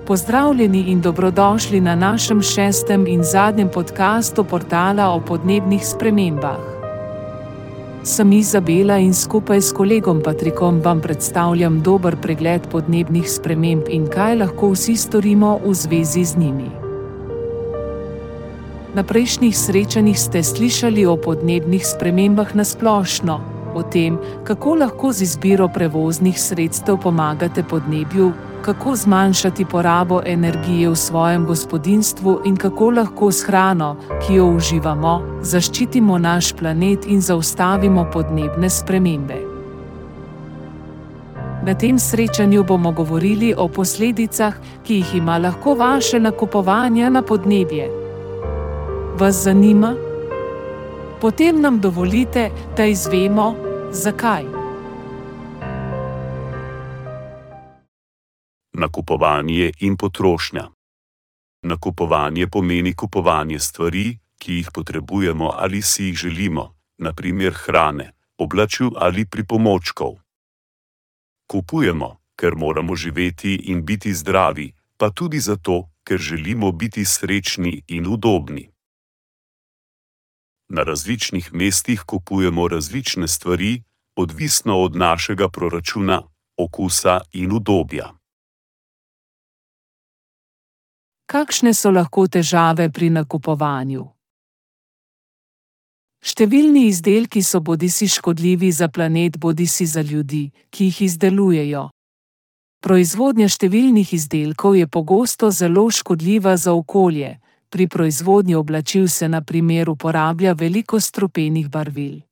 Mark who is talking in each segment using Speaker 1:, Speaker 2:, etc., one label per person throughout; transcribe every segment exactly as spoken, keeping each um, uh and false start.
Speaker 1: Pozdravljeni in dobrodošli na našem šestem in zadnjem podkastu portala o podnebnih spremembah. Sem Izabela in skupaj s kolegom Patrikom vam predstavljam dober pregled podnebnih sprememb in kaj lahko vsi storimo v zvezi z njimi. Na prejšnjih srečanjih ste slišali o podnebnih spremembah na splošno, o tem, kako lahko z izbiro prevoznih sredstev pomagate podnebju, kako zmanjšati porabo energije v svojem gospodinjstvu in kako lahko s hrano, ki jo uživamo, zaščitimo naš planet in zaustavimo podnebne spremembe. Na tem srečanju bomo govorili o posledicah, ki jih ima lahko vaše nakupovanje na podnebje. Vas zanima? Potem nam dovolite, da izvemo, zakaj.
Speaker 2: Nakupovanje in potrošnja. Nakupovanje pomeni kupovanje stvari, ki jih potrebujemo ali si jih želimo, na primer hrane, oblačil ali pripomočkov. Kupujemo, ker moramo živeti in biti zdravi, pa tudi zato, ker želimo biti srečni in udobni. Na različnih mestih kupujemo različne stvari, odvisno od našega proračuna, okusa in udobja.
Speaker 1: Kakšne so lahko težave pri nakupovanju? Številni izdelki so bodisi škodljivi za planet, bodisi za ljudi, ki jih izdelujejo. Proizvodnja številnih izdelkov je pogosto zelo škodljiva za okolje. Pri proizvodnji oblačil se na primer uporablja veliko strupenih barvil.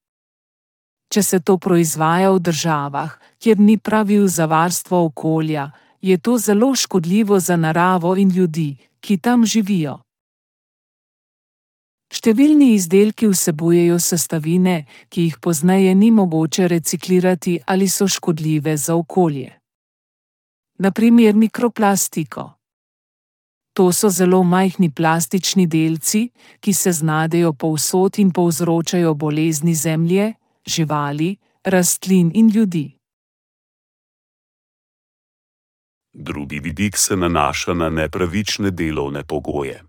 Speaker 1: Če se to proizvaja v državah, kjer ni pravil za varstvo okolja, je to zelo škodljivo za naravo in ljudi, ki tam živijo. Številni izdelki vsebujejo sestavine, ki jih pozneje ni mogoče reciklirati ali so škodljive za okolje. Na primer mikroplastiko. To so zelo majhni plastični delci, ki se znajdejo povsod in povzročajo bolezni zemlje, živali, rastlin in ljudi.
Speaker 2: Drugi vidik se nanaša na nepravične delovne pogoje.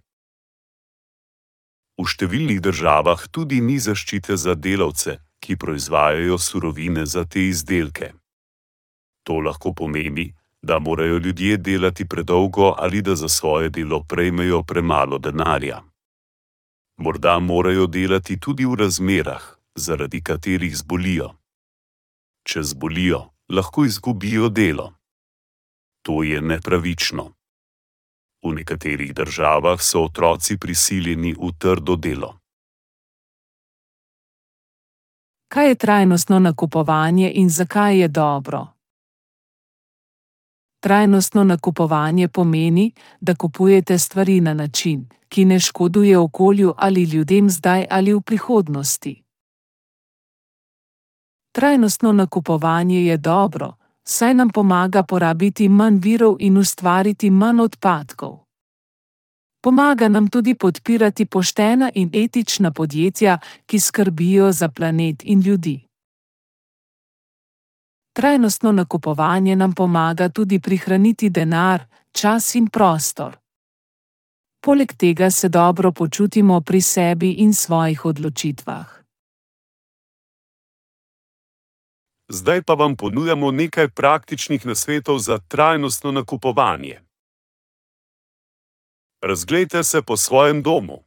Speaker 2: V številnih državah tudi ni zaščite za delavce, ki proizvajajo surovine za te izdelke. To lahko pomeni, da morajo ljudje delati predolgo ali da za svoje delo prejmejo premalo denarja. Morda morajo delati tudi v razmerah, zaradi katerih zbolijo. Če zbolijo, lahko izgubijo delo. To je nepravično. V nekaterih državah so otroci prisiljeni v trdo delo.
Speaker 1: Kaj je trajnostno nakupovanje in zakaj je dobro? Trajnostno nakupovanje pomeni, da kupujete stvari na način, ki ne škoduje okolju ali ljudem zdaj ali v prihodnosti. Trajnostno nakupovanje je dobro, saj nam pomaga porabiti manj virov in ustvariti manj odpadkov. Pomaga nam tudi podpirati poštena in etična podjetja, ki skrbijo za planet in ljudi. Trajnostno nakupovanje nam pomaga tudi prihraniti denar, čas in prostor. Poleg tega se dobro počutimo pri sebi in svojih odločitvah.
Speaker 2: Zdaj pa vam ponujamo nekaj praktičnih nasvetov za trajnostno nakupovanje. Razglejte se po svojem domu.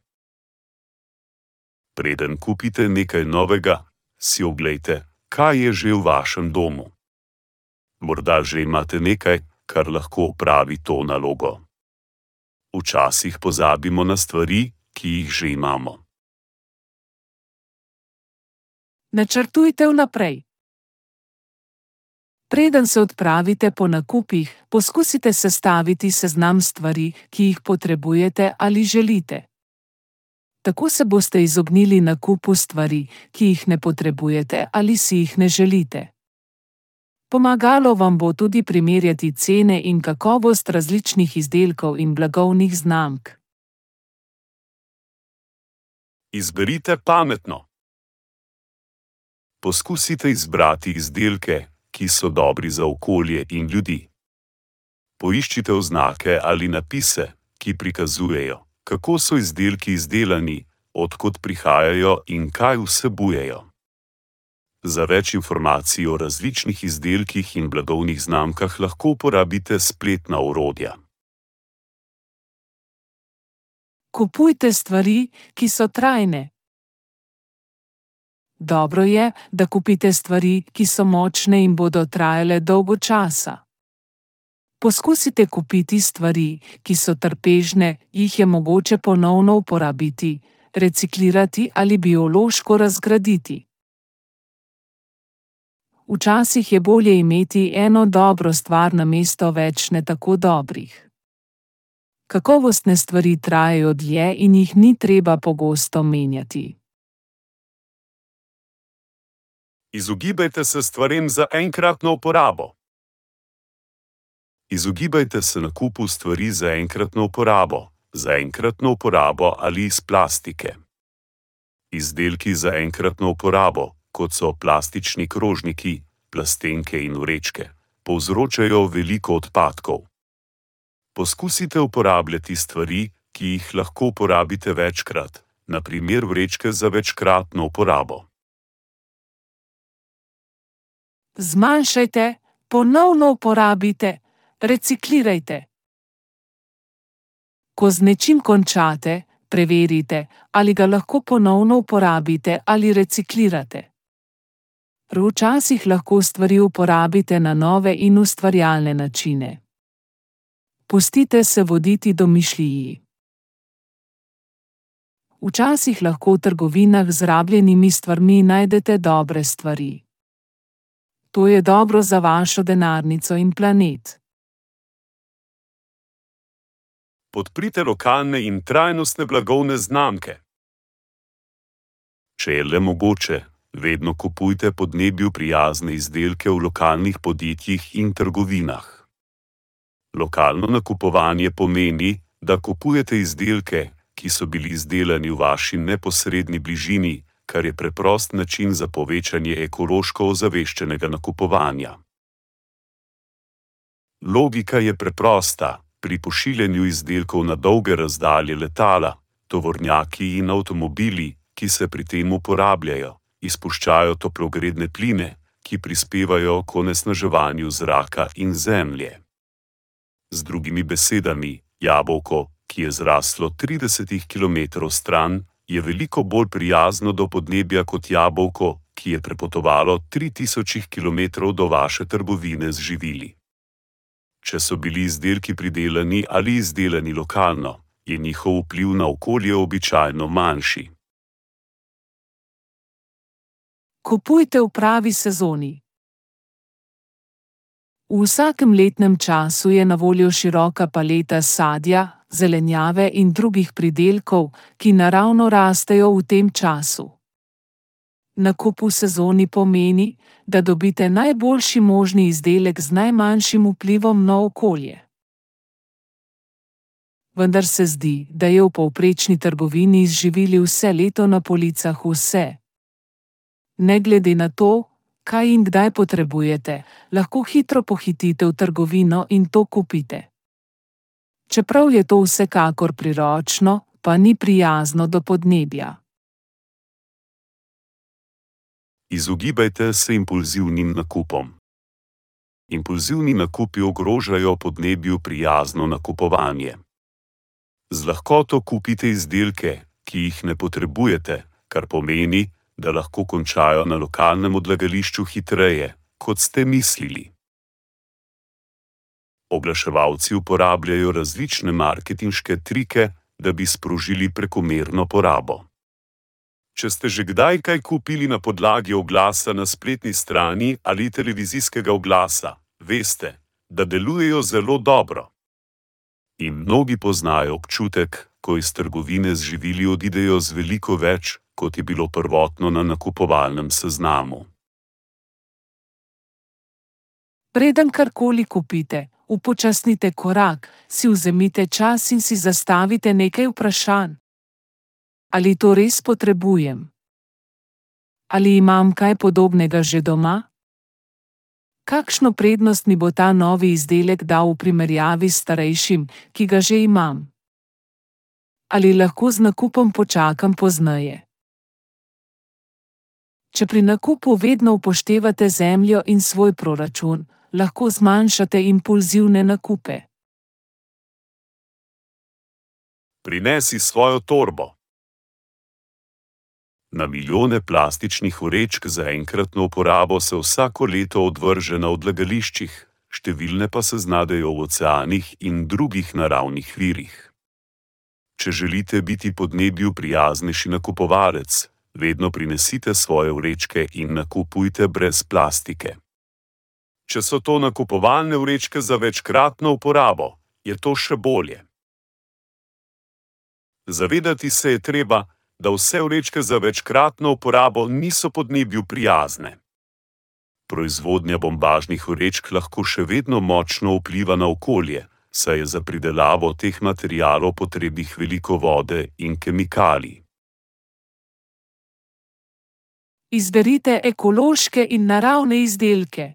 Speaker 2: Preden kupite nekaj novega, si oglejte, kaj je že v vašem domu. Morda že imate nekaj, kar lahko opravi to nalogo. Včasih pozabimo na stvari, ki jih že imamo.
Speaker 1: Načrtujte vnaprej. Preden se odpravite po nakupih, poskusite sestaviti seznam stvari, ki jih potrebujete ali želite. Tako se boste izognili nakupu stvari, ki jih ne potrebujete ali si jih ne želite. Pomagalo vam bo tudi primerjati cene in kakovost različnih izdelkov in blagovnih znamk.
Speaker 2: Izberite pametno. Poskusite izbrati izdelke, ki so dobri za okolje in ljudi. Poiščite oznake ali napise, ki prikazujejo, kako so izdelki izdelani, od kod prihajajo in kaj vsebujejo. Za več informacij o različnih izdelkih in blagovnih znamkah lahko uporabite spletna orodja.
Speaker 1: Kupujte stvari, ki so trajne. Dobro je, da kupite stvari, ki so močne in bodo trajale dolgo časa. Poskusite kupiti stvari, ki so trpežne, jih je mogoče ponovno uporabiti, reciklirati ali biološko razgraditi. Včasih je bolje imeti eno dobro stvar namesto več ne tako dobrih. Kakovostne stvari trajajo dlje in jih ni treba pogosto menjati.
Speaker 2: Izogibajte se stvarem za enkratno uporabo. Izogibajte se nakupu stvari za enkratno uporabo, za enkratno uporabo ali iz plastike. Izdelki za enkratno uporabo, kot so plastični krožniki, plastenke in vrečke, povzročajo veliko odpadkov. Poskusite uporabljati stvari, ki jih lahko uporabite večkrat, na primer vrečke za večkratno uporabo.
Speaker 1: Zmanjšajte, ponovno uporabite, reciklirajte. Ko z nečim končate, preverite, ali ga lahko ponovno uporabite ali reciklirate. Včasih lahko stvari uporabite na nove in ustvarjalne načine. Pustite se voditi domišljiji. Včasih lahko v trgovinah z rabljenimi stvarmi najdete dobre stvari. To je dobro za vašo denarnico in planet.
Speaker 2: Podprite lokalne in trajnostne blagovne znamke. Če je le mogoče, vedno kupujte podnebju prijazne izdelke v lokalnih podjetjih in trgovinah. Lokalno nakupovanje pomeni, da kupujete izdelke, ki so bili izdelani v vaši neposredni bližini, kar je preprost način za povečanje ekološko ozaveščenega nakupovanja. Logika je preprosta. Pri pošiljanju izdelkov na dolge razdalje letala, tovornjaki in avtomobili, ki se pri tem uporabljajo, izpuščajo toplogredne pline, ki prispevajo k onesnaževanju zraka in zemlje. Z drugimi besedami, jabolko, ki je zraslo trideset kilometrov stran, je veliko bolj prijazno do podnebja kot jabolko, ki je prepotovalo tri tisoč kilometrov do vaše trgovine z živili. Če so bili izdelki pridelani ali izdelani lokalno, je njihov vpliv na okolje običajno manjši.
Speaker 1: Kupujte v pravi sezoni. V vsakem letnem času je na voljo široka paleta sadja, zelenjave in drugih pridelkov, ki naravno rastejo v tem času. Nakup v sezoni pomeni, da dobite najboljši možni izdelek z najmanjšim vplivom na okolje. Vendar se zdi, da je v povprečni trgovini z živili vse leto na policah vse. Ne glede na to, kaj in kdaj potrebujete, lahko hitro pohitite v trgovino in to kupite. Čeprav je to vsekakor priročno, pa ni prijazno do podnebja.
Speaker 2: Izogibajte se impulzivnim nakupom. Impulzivni nakupi ogrožajo podnebju prijazno nakupovanje. Z lahkoto kupite izdelke, ki jih ne potrebujete, kar pomeni, da lahko končajo na lokalnem odlagališču hitreje, kot ste mislili. Oglaševalci uporabljajo različne marketinške trike, da bi sprožili prekomerno porabo. Če ste že kdaj kaj kupili na podlagi oglasa na spletni strani ali televizijskega oglasa, veste, da delujejo zelo dobro. In mnogi poznajo občutek, ko iz trgovine z živili odidejo z veliko več, kot je bilo prvotno na nakupovalnem seznamu.
Speaker 1: Preden karkoli kupite, upočasnite korak, si vzemite čas in si zastavite nekaj vprašanj. Ali to res potrebujem? Ali imam kaj podobnega že doma? Kakšno prednost mi bo ta novi izdelek dal v primerjavi s starejšim, ki ga že imam? Ali lahko z nakupom počakam pozneje? Če pri nakupu vedno upoštevate zemljo in svoj proračun, lahko zmanjšate impulzivne nakupe.
Speaker 2: Prinesi svojo torbo. Na milijone plastičnih vrečk za enkratno uporabo se vsako leto odvrže na odlagališčih, številne pa se znajdejo v oceanih in drugih naravnih virih. Če želite biti podnebju prijaznejši nakupovalec, vedno prinesite svoje vrečke in nakupujte brez plastike. Če so to nakupovalne vrečke za večkratno uporabo, je to še bolje. Zavedati se je treba, da vse vrečke za večkratno uporabo niso podnebju prijazne. Proizvodnja bombažnih vrečk lahko še vedno močno vpliva na okolje, saj je za pridelavo teh materialov potrebnih veliko vode in kemikalij.
Speaker 1: Izberite ekološke in naravne izdelke.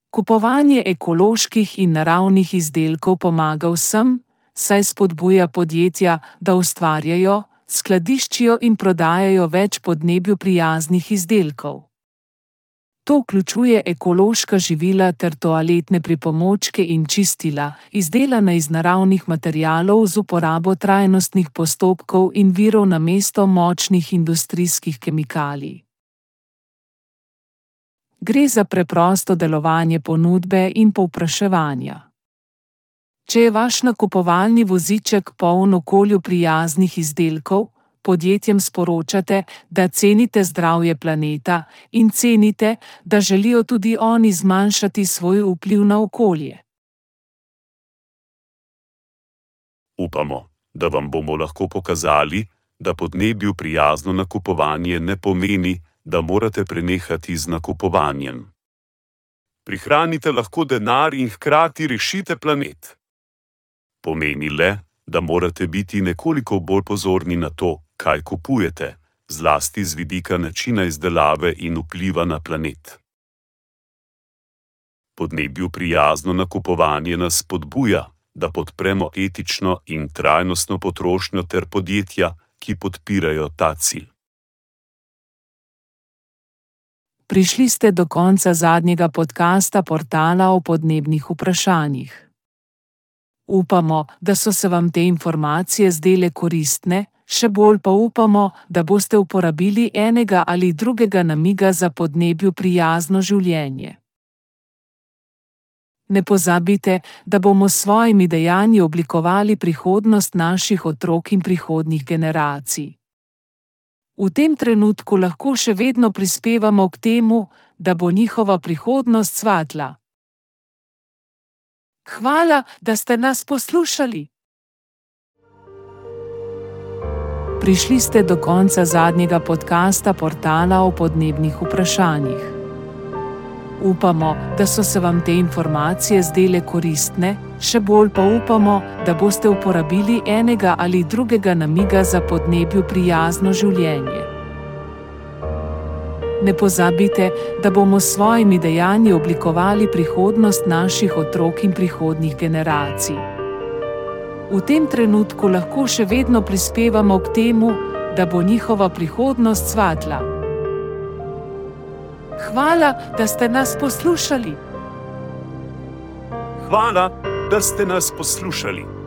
Speaker 1: Kupovanje ekoloških in naravnih izdelkov pomaga vsem, saj spodbuja podjetja, da ustvarjajo, skladiščijo in prodajajo več podnebju prijaznih izdelkov. To vključuje ekološka živila ter toaletne pripomočke in čistila, izdelana iz naravnih materialov z uporabo trajnostnih postopkov in virov namesto močnih industrijskih kemikalij. Gre za preprosto delovanje ponudbe in povpraševanja. Če je vaš nakupovalni voziček poln okolju prijaznih izdelkov, podjetjem sporočate, da cenite zdravje planeta in cenite, da želijo tudi oni zmanjšati svoj vpliv na okolje.
Speaker 2: Upamo, da vam bomo lahko pokazali, da podnebju prijazno nakupovanje ne pomeni, da morate prenehati z nakupovanjem. Prihranite lahko denar in hkrati rešite planet. Pomeni le, da morate biti nekoliko bolj pozorni na to, kaj kupujete, zlasti z vidika načina izdelave in vpliva na planet. Podnebju prijazno nakupovanje nas spodbuja, da podpremo etično in trajnostno potrošnjo ter podjetja, ki podpirajo ta cilj.
Speaker 1: Prišli ste do konca zadnjega podcasta portala o podnebnih vprašanjih. Upamo, da so se vam te informacije zdele koristne, še bolj pa upamo, da boste uporabili enega ali drugega namiga za podnebju prijazno življenje. Ne pozabite, da bomo s svojimi dejanji oblikovali prihodnost naših otrok in prihodnjih generacij. V tem trenutku lahko še vedno prispevamo k temu, da bo njihova prihodnost svetla. Hvala, da ste nas poslušali. Prišli ste do konca zadnjega podcasta portala o podnebnih vprašanjih. Upamo, da so se vam te informacije zdele koristne, še bolj pa upamo, da boste uporabili enega ali drugega namiga za podnebju prijazno življenje. Ne pozabite, da bomo s svojimi dejanji oblikovali prihodnost naših otrok in prihodnjih generacij. V tem trenutku lahko še vedno prispevamo k temu, da bo njihova prihodnost svetla. Hvala, da ste nas poslušali.
Speaker 2: Hvala, da ste nas poslušali.